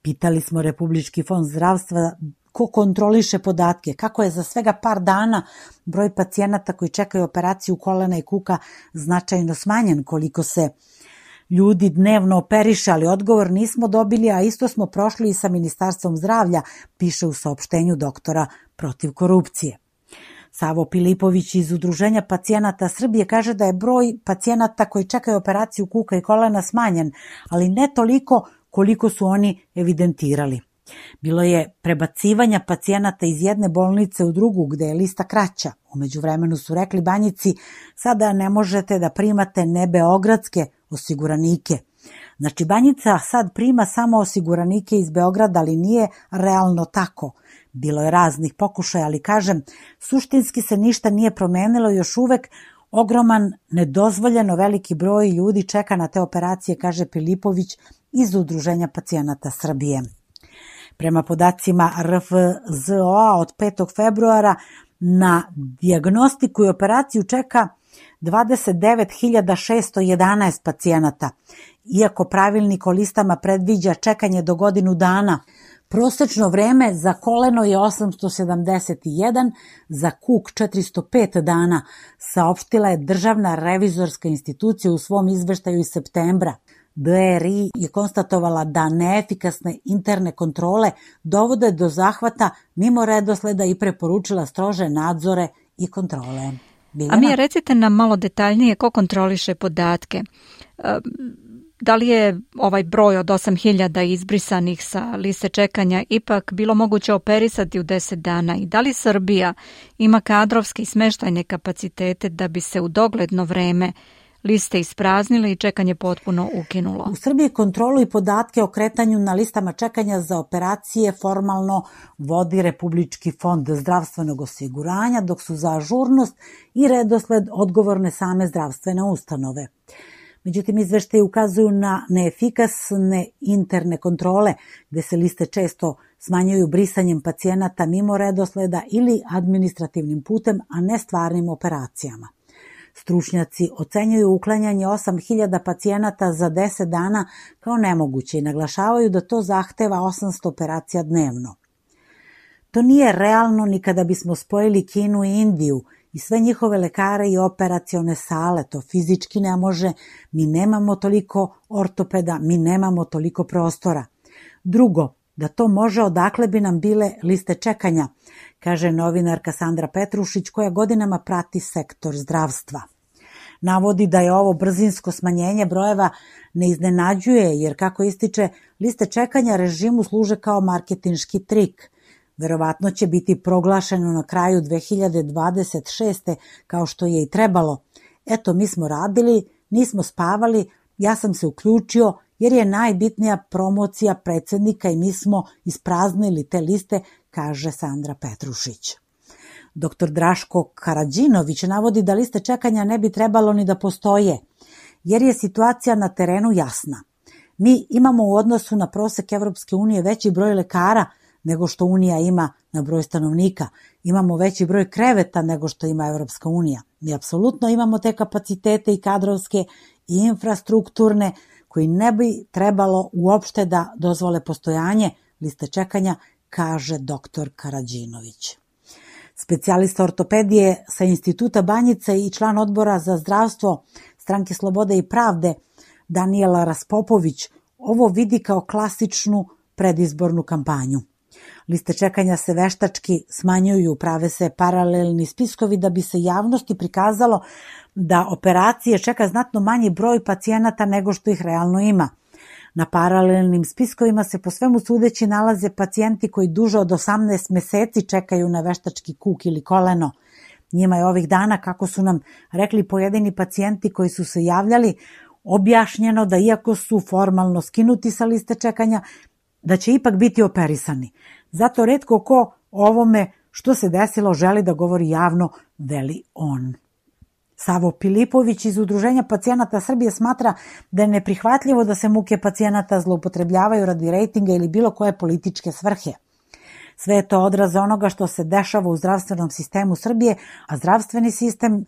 Pitali smo Republički fond zdravstva ko kontroliše podatke, kako je za svega par dana broj pacijenata koji čekaju operaciju kolena i kuka značajno smanjen, koliko se ljudi dnevno operiše, ali odgovor nismo dobili, a isto smo prošli i sa Ministarstvom zdravlja, piše u saopštenju Doktora protiv korupcije. Savo Pilipović iz Udruženja pacijenata Srbije kaže da je broj pacijenata koji čekaju operaciju kuka i kolena smanjen, ali ne toliko koliko su oni evidentirali. Bilo je prebacivanja pacijenata iz jedne bolnice u drugu gde je lista kraća. U međuvremenu su rekli Banjici, sada ne možete da primate nebeogradske osiguranike. Znači Banjica sad prima samo osiguranike iz Beograda, ali nije realno tako. Bilo je raznih pokušaja, ali kažem, suštinski se ništa nije promenilo, još uvek ogroman, nedozvoljeno veliki broj ljudi čeka na te operacije, kaže Pilipović iz Udruženja pacijenata Srbije. Prema podacima R F Z O-a od petog februara na dijagnostiku i operaciju čeka dvadeset devet hiljada šesto jedanaest pacijenata. Iako pravilnik o listama predviđa čekanje do godinu dana, prosečno vreme za koleno je osamsto sedamdeset jedan, za kuk četiristo pet dana, saopštila je Državna revizorska institucija u svom izveštaju iz septembra. D R I je konstatovala da neefikasne interne kontrole dovode do zahvata mimo redosleda i preporučila strože nadzore i kontrole. Biljana? A mi recite nam malo detaljnije ko kontroliše podatke. Da li je ovaj broj od osam hiljada izbrisanih sa liste čekanja ipak bilo moguće operisati u deset dana i da li Srbija ima kadrovske i smeštajne kapacitete da bi se u dogledno vreme liste ispraznile i čekanje potpuno ukinulo? U Srbiji kontrolu i podatke o kretanju na listama čekanja za operacije formalno vodi Republički fond zdravstvenog osiguranja, dok su za ažurnost i redosled odgovorne same zdravstvene ustanove. Međutim, izveštaji ukazuju na neefikasne interne kontrole, gde se liste često smanjuju brisanjem pacijenata mimo redosleda ili administrativnim putem, a ne stvarnim operacijama. Stručnjaci ocenjuju uklanjanje osam hiljada pacijenata za deset dana kao nemoguće i naglašavaju da to zahteva osamsto operacija dnevno. To nije realno ni kada bismo spojili Kinu i Indiju i sve njihove lekare i operacione sale, to fizički ne može, mi nemamo toliko ortopeda, mi nemamo toliko prostora. Drugo, da to može, odakle bi nam bile liste čekanja, kaže novinarka Sandra Petrušić koja godinama prati sektor zdravstva. Navodi da je ovo brzinsko smanjenje brojeva ne iznenađuje, jer kako ističe, liste čekanja režimu služe kao marketinški trik. Verovatno će biti proglašeno na kraju dve hiljade dvadeset šeste kao što je i trebalo. Eto, mi smo radili, nismo spavali, ja sam se uključio jer je najbitnija promocija predsjednika i mi smo ispraznili te liste, kaže Sandra Petrušić. Doktor Draško Karadžinović navodi da liste čekanja ne bi trebalo ni da postoje, jer je situacija na terenu jasna. Mi imamo u odnosu na prosek Evropske unije veći broj lekara nego što Unija ima na broj stanovnika. Imamo veći broj kreveta nego što ima Evropska unija. Mi apsolutno imamo te kapacitete i kadrovske i infrastrukturne koji ne bi trebalo uopšte da dozvole postojanje liste čekanja, kaže doktor Karadžinović. Specijalista ortopedije sa Instituta Banjica i član odbora za zdravstvo Stranke Slobode i pravde Danijela Raspopović ovo vidi kao klasičnu predizbornu kampanju. Liste čekanja se veštački smanjuju, prave se paralelni spiskovi da bi se javnosti prikazalo da operacije čeka znatno manji broj pacijenata nego što ih realno ima. Na paralelnim spiskovima se po svemu sudeći nalaze pacijenti koji duže od osamnaest meseci čekaju na veštački kuk ili koleno. Njima je ovih dana, kako su nam rekli pojedini pacijenti koji su se javljali, objašnjeno da iako su formalno skinuti sa liste čekanja, da će ipak biti operisani. Zato retko ko ovome što se desilo želi da govori javno, veli on. Savo Pilipović iz Udruženja pacijenata Srbije smatra da je neprihvatljivo da se muke pacijenata zloupotrebljavaju radi rejtinga ili bilo koje političke svrhe. Sve je to odraz onoga što se dešava u zdravstvenom sistemu Srbije, a zdravstveni sistem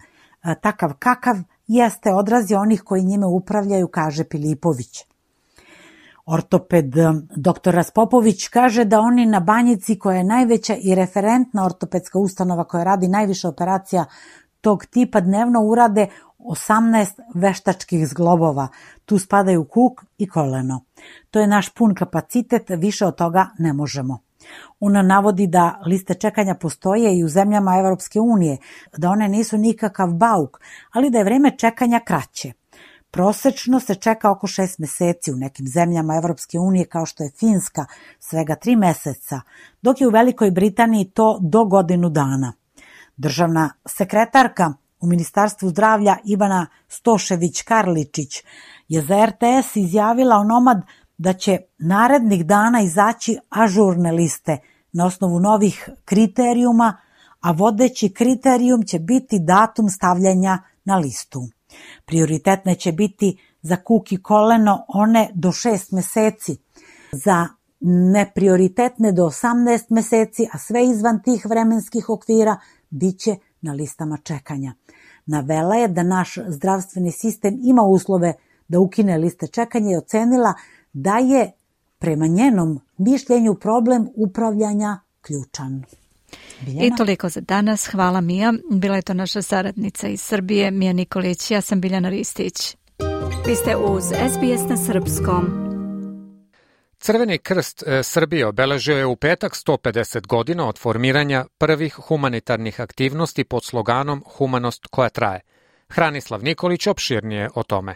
takav kakav jeste odraz onih koji njime upravljaju, kaže Pilipović. Ortoped doktor Raspopović kaže da oni na Banjici, koja je najveća i referentna ortopedska ustanova koja radi najviše operacija tog tipa, dnevno urade osamnaest veštačkih zglobova. Tu spadaju kuk i koleno. To je naš pun kapacitet, više od toga ne možemo. Ona navodi da liste čekanja postoje i u zemljama Evropske unije, da one nisu nikakav bauk, ali da je vreme čekanja kraće. Prosečno se čeka oko šest meseci, u nekim zemljama Evropske unije kao što je Finska svega tri meseca, dok je u Velikoj Britaniji to do godinu dana. Državna sekretarka u Ministarstvu zdravlja Ivana Stošević-Karličić je za er te es izjavila onomad da će narednih dana izaći ažurne liste na osnovu novih kriterijuma, a vodeći kriterijum će biti datum stavljanja na listu. Prioritetne će biti za kuk i koleno one do šest meseci, za neprioritetne do osamnaest meseci, a sve izvan tih vremenskih okvira bit će na listama čekanja. Navela je da naš zdravstveni sistem ima uslove da ukine liste čekanja i ocenila da je prema njenom mišljenju problem upravljanja ključan. Biljana? I toliko za danas. Hvala Mija. Bila je to naša saradnica iz Srbije, Mija Nikolić. Ja sam Biljana Ristić. Vi ste uz S B S na srpskom. Crveni krst Srbije obeležio je u petak sto pedeset godina od formiranja prvih humanitarnih aktivnosti pod sloganom Humanost koja traje. Hranislav Nikolić opširnije o tome.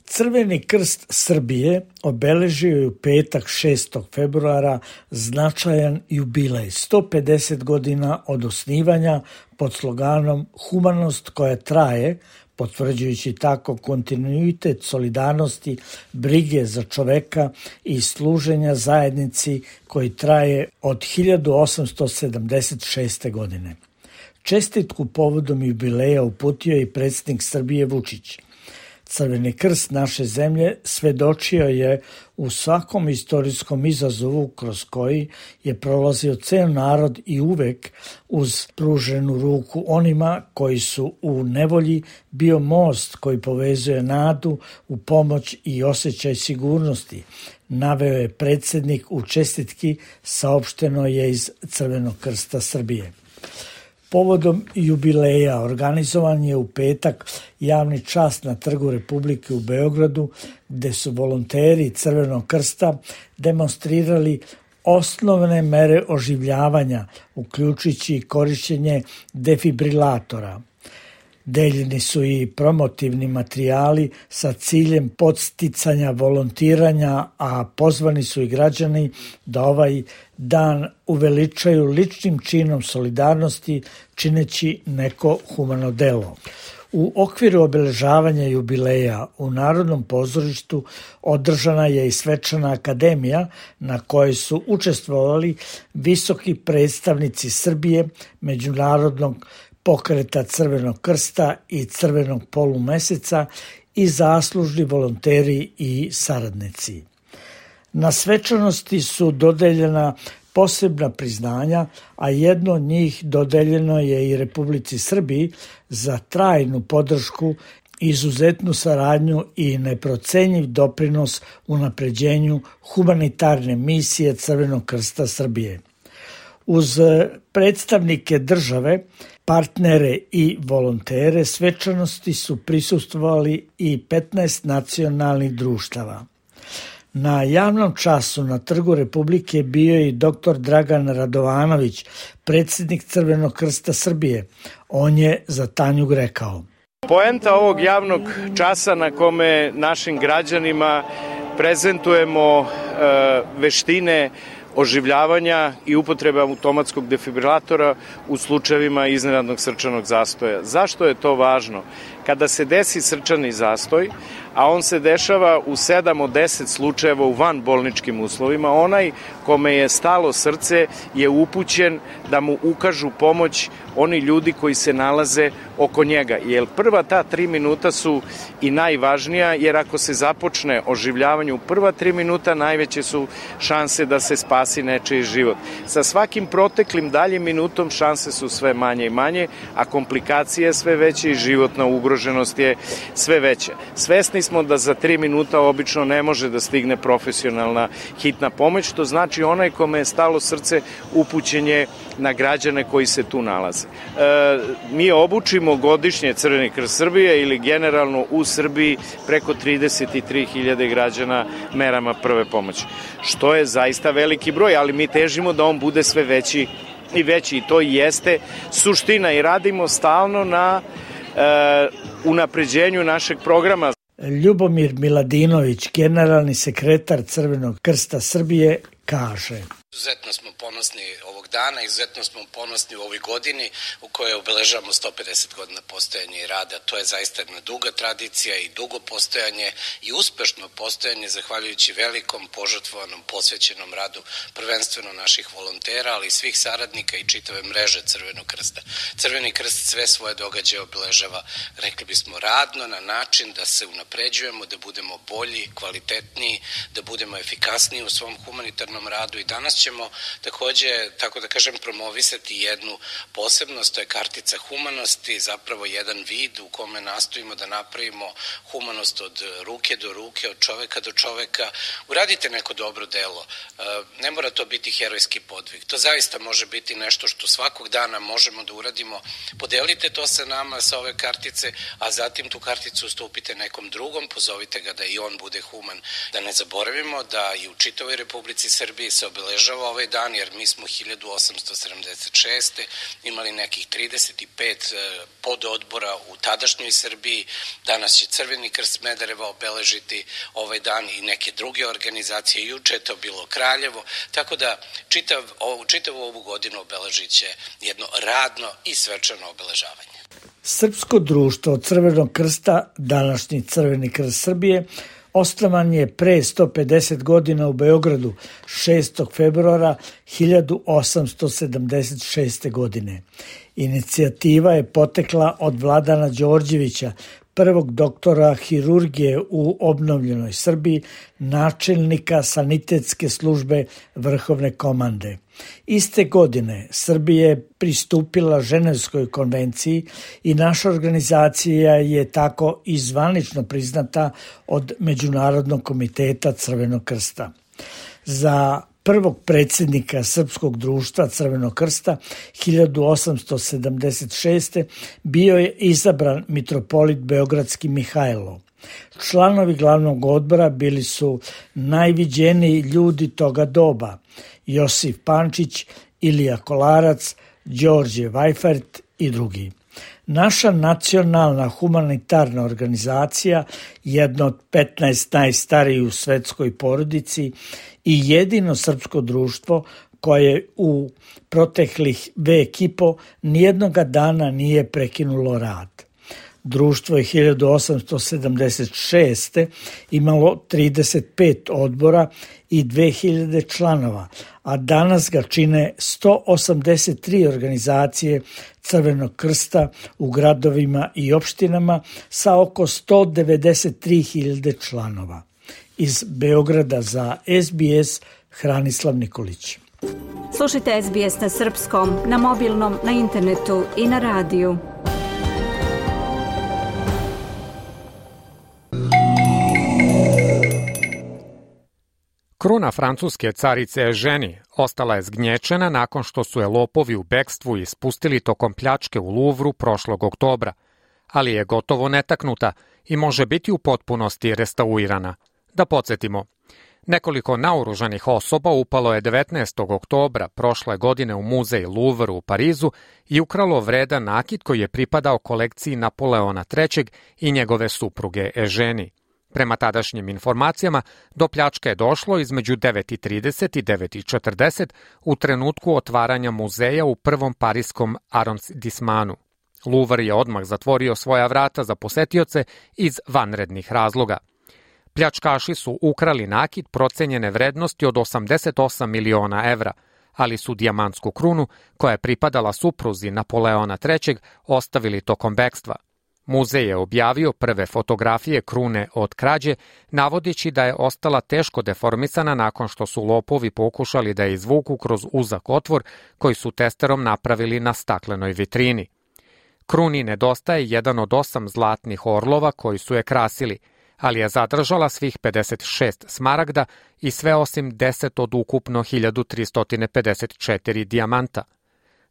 Crveni krst Srbije obeležio je u petak šestog februara značajan jubilej, sto pedeset godina od osnivanja pod sloganom Humanost koja traje, potvrđujući tako kontinuitet solidarnosti, brige za čoveka i služenja zajednici koji traje od hiljadu osamsto sedamdeset šeste. godine. Čestitku povodom jubileja uputio i predsjednik Srbije Vučić. Crveni krst naše zemlje svedočio je u svakom istorijskom izazovu kroz koji je prolazio ceo narod i uvek uz pruženu ruku onima koji su u nevolji bio most koji povezuje nadu u pomoć i osjećaj sigurnosti, naveo je predsjednik u čestitki, saopšteno je iz Crvenog krsta Srbije. Povodom jubileja organizovan je u petak javni čas na Trgu Republike u Beogradu, gde su volonteri Crvenog krsta demonstrirali osnovne mere oživljavanja, uključujući korišćenje defibrilatora. Deljeni su i promotivni materijali sa ciljem podsticanja volontiranja, a pozvani su i građani da ovaj dan uveličaju ličnim činom solidarnosti, čineći neko humano delo. U okviru obeležavanja jubileja u Narodnom pozorištu održana je i svečana akademija na kojoj su učestvovali visoki predstavnici Srbije, Međunarodnog pokreta Crvenog krsta i Crvenog polumeseca i zaslužni volonteri i saradnici. Na svečanosti su dodeljena posebna priznanja, a jedno od njih dodeljeno je i Republici Srbiji za trajnu podršku, izuzetnu saradnju i neprocenjiv doprinos unapređenju humanitarne misije Crvenog krsta Srbije. Uz predstavnike države, partnere i volontere svečanosti su prisustvovali i petnaest nacionalnih društava. Na javnom času na Trgu Republike bio je i doktor Dragan Radovanović, predsjednik Crvenog krsta Srbije. On je za Tanjug rekao: Poenta ovog javnog časa na kome našim građanima prezentujemo e, veštine oživljavanja i upotrebe automatskog defibrilatora u slučajevima iznenadnog srčanog zastoja. Zašto je to važno? Kada se desi srčani zastoj, a on se dešava u sedam od deset slučajeva u vanbolničkim uslovima, onaj kome je stalo srce je upućen da mu ukažu pomoć oni ljudi koji se nalaze oko njega. Jer prva ta tri minuta su i najvažnija, jer ako se započne oživljavanje u prva tri minuta, najveće su šanse da se spasi nečiji život. Sa svakim proteklim daljim minutom šanse su sve manje i manje, a komplikacije je sve veće i životna ugroženost je sve veća. Svesni smo da za tri minuta obično ne može da stigne profesionalna hitna pomoć, što znači onaj kome je stalo srce upućen je na građane koji se tu nalaze. E, mi obučimo godišnje Crveni krst Srbije ili generalno u Srbiji preko trideset tri hiljade građana merama prve pomoći, što je zaista veliki broj, ali mi težimo da on bude sve veći i veći i to i jeste suština i radimo stalno na e, unapređenju našeg programa. Ljubomir Miladinović, generalni sekretar Crvenog krsta Srbije, kaže: Izuzetno smo ponosni ovog dana, izuzetno smo ponosni u ovoj godini u kojoj obeležavamo sto pedeset godina postojanja i rada. To je zaista jedna duga tradicija i dugo postojanje i uspešno postojanje zahvaljujući velikom, požrtvovanom, posvećenom radu prvenstveno naših volontera, ali i svih saradnika i čitave mreže Crvenog krsta. Crveni krst sve svoje događaje obeležava, rekli bismo, radno, na način da se unapređujemo, da budemo bolji, kvalitetniji, da budemo efikasniji u svom humanitarnom radu i danas ćemo takođe, tako da kažem, promovisati jednu posebnost, to je kartica humanosti, zapravo jedan vid u kome nastojimo da napravimo humanost od ruke do ruke, od čoveka do čoveka. Uradite neko dobro delo. Ne mora to biti herojski podvig. To zaista može biti nešto što svakog dana možemo da uradimo. Podelite to sa nama, sa ove kartice, a zatim tu karticu ustupite nekom drugom, pozovite ga da i on bude human. Da ne zaboravimo da i u čitavoj Republici Srbiji se obeležava ovaj dan, jer mi smo hiljadu osamsto sedamdeset šeste. imali nekih trideset pet pododbora u tadašnjoj Srbiji. Danas će Crveni krst Smedereva obeležiti ovaj dan i neke druge organizacije. Juče je to bilo Kraljevo, tako da čitav, čitavu ovu godinu obeležit će jedno radno i svečano obeležavanje. Srpsko društvo Crvenog krsta, današnji Crveni krst Srbije, osnovan je pre sto pedeset godina u Beogradu šestog februara hiljadu osamsto sedamdeset šeste. godine. Inicijativa je potekla od Vladana Đorđevića, prvog doktora hirurgije u obnovljenoj Srbiji, načelnika sanitetske službe Vrhovne komande. Iste godine Srbija je pristupila Ženevskoj konvenciji i naša organizacija je tako i zvanično priznata od Međunarodnog komiteta Crvenog krsta. Za prvog predsjednika Srpskog društva Crvenog krsta hiljadu osamsto sedamdeset šeste. bio je izabran mitropolit beogradski Mihajlo. Članovi glavnog odbora bili su najviđeniji ljudi toga doba: Josif Pančić, Ilija Kolarac, Đorđe Vajfert i drugi. Naša nacionalna humanitarna organizacija, jedna od petnaest najstarijih u svetskoj porodici i jedino srpsko društvo koje u proteklih vek i po nijednoga dana nije prekinulo rad. Društvo je hiljadu osamsto sedamdeset šeste. imalo trideset pet odbora i dve hiljade članova, a danas ga čine sto osamdeset tri organizacije Crvenog krsta u gradovima i opštinama sa oko sto devedeset tri hiljade članova. Iz Beograda za S B S Hranislav Nikolić. Slušajte S B S na srpskom, na mobilnom, na internetu i na radiju. Kruna francuske carice Eugenie ostala je zgnječena nakon što su je lopovi u bekstvu ispustili tokom pljačke u Luvru prošlog oktobra, ali je gotovo netaknuta i može biti u potpunosti restaurirana. Da podsjetimo, nekoliko naoružanih osoba upalo je devetnaestog oktobra prošle godine u muzej Louvre u Parizu i ukralo vredan nakit koji je pripadao kolekciji Napoleona trećeg i njegove supruge Eugenie. Prema tadašnjim informacijama, do pljačke je došlo između devet i trideset i devet i četrdeset u trenutku otvaranja muzeja u prvom pariskom arrondissemanu. Louvre je odmah zatvorio svoja vrata za posetioce iz vanrednih razloga. Pljačkaši su ukrali nakit procenjene vrednosti od osamdeset osam miliona evra, ali su dijamantsku krunu, koja je pripadala supruzi Napoleona trećeg, ostavili tokom bekstva. Muzej je objavio prve fotografije krune od krađe, navodeći da je ostala teško deformisana nakon što su lopovi pokušali da je izvuku kroz uzak otvor koji su testerom napravili na staklenoj vitrini. Kruni nedostaje jedan od osam zlatnih orlova koji su je krasili, ali je zadržala svih pedeset šest smaragda i sve osim deset od ukupno hiljadu tristo pedeset četiri dijamanta.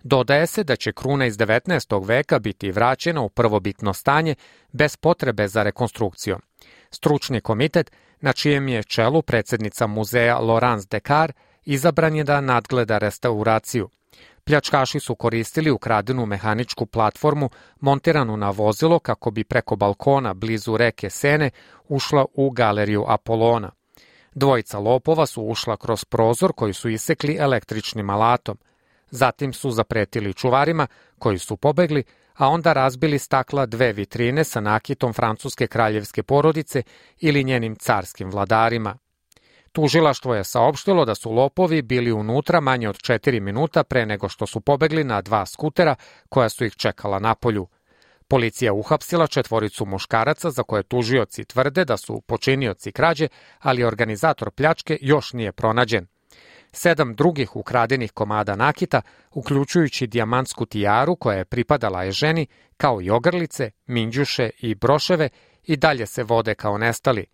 Dodaje se da će kruna iz devetnaestog veka biti vraćena u prvobitno stanje bez potrebe za rekonstrukcijom. Stručni komitet, na čijem je čelu predsjednica muzeja Laurence Descartes, izabran je da nadgleda restauraciju. Pljačkaši su koristili ukradenu mehaničku platformu montiranu na vozilo kako bi preko balkona blizu reke Sene ušla u galeriju Apolona. Dvojica lopova su ušla kroz prozor koji su isekli električnim alatom. Zatim su zapretili čuvarima koji su pobegli, a onda razbili stakla dve vitrine sa nakitom francuske kraljevske porodice ili njenim carskim vladarima. Tužilaštvo je saopštilo da su lopovi bili unutra manje od četiri minuta pre nego što su pobegli na dva skutera koja su ih čekala napolju. Policija uhapsila četvoricu muškaraca za koje tužioci tvrde da su počinioci krađe, ali organizator pljačke još nije pronađen. sedam drugih ukradenih komada nakita, uključujući dijamantsku tijaru koja je pripadala je ženi, kao i ogrlice, minđuše i broševe, i dalje se vode kao nestali.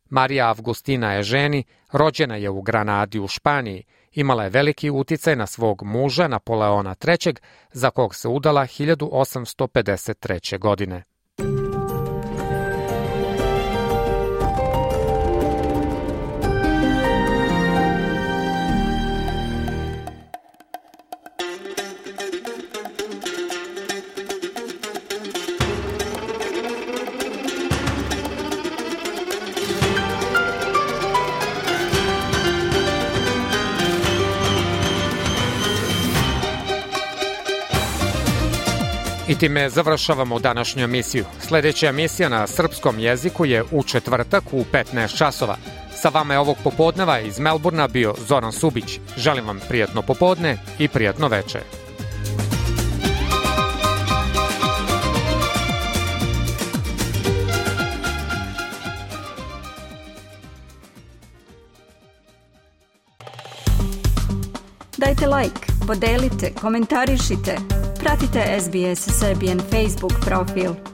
Marija Avgustina je ženi, rođena je u Granadi u Španiji, imala je veliki uticaj na svog muža Napoleona trećeg, za kog se udala hiljadu osamsto pedeset treće. godine. I time završavamo današnju emisiju. Sljedeća emisija na srpskom jeziku je u četvrtak u petnaest časova. Sa vama je ovog popodneva iz Melburna bio Zoran Subić. Želim vam prijatno popodne i prijatno veče. Dajte like, podelite, komentarišite. Pratite S B S Serbian Facebook profil.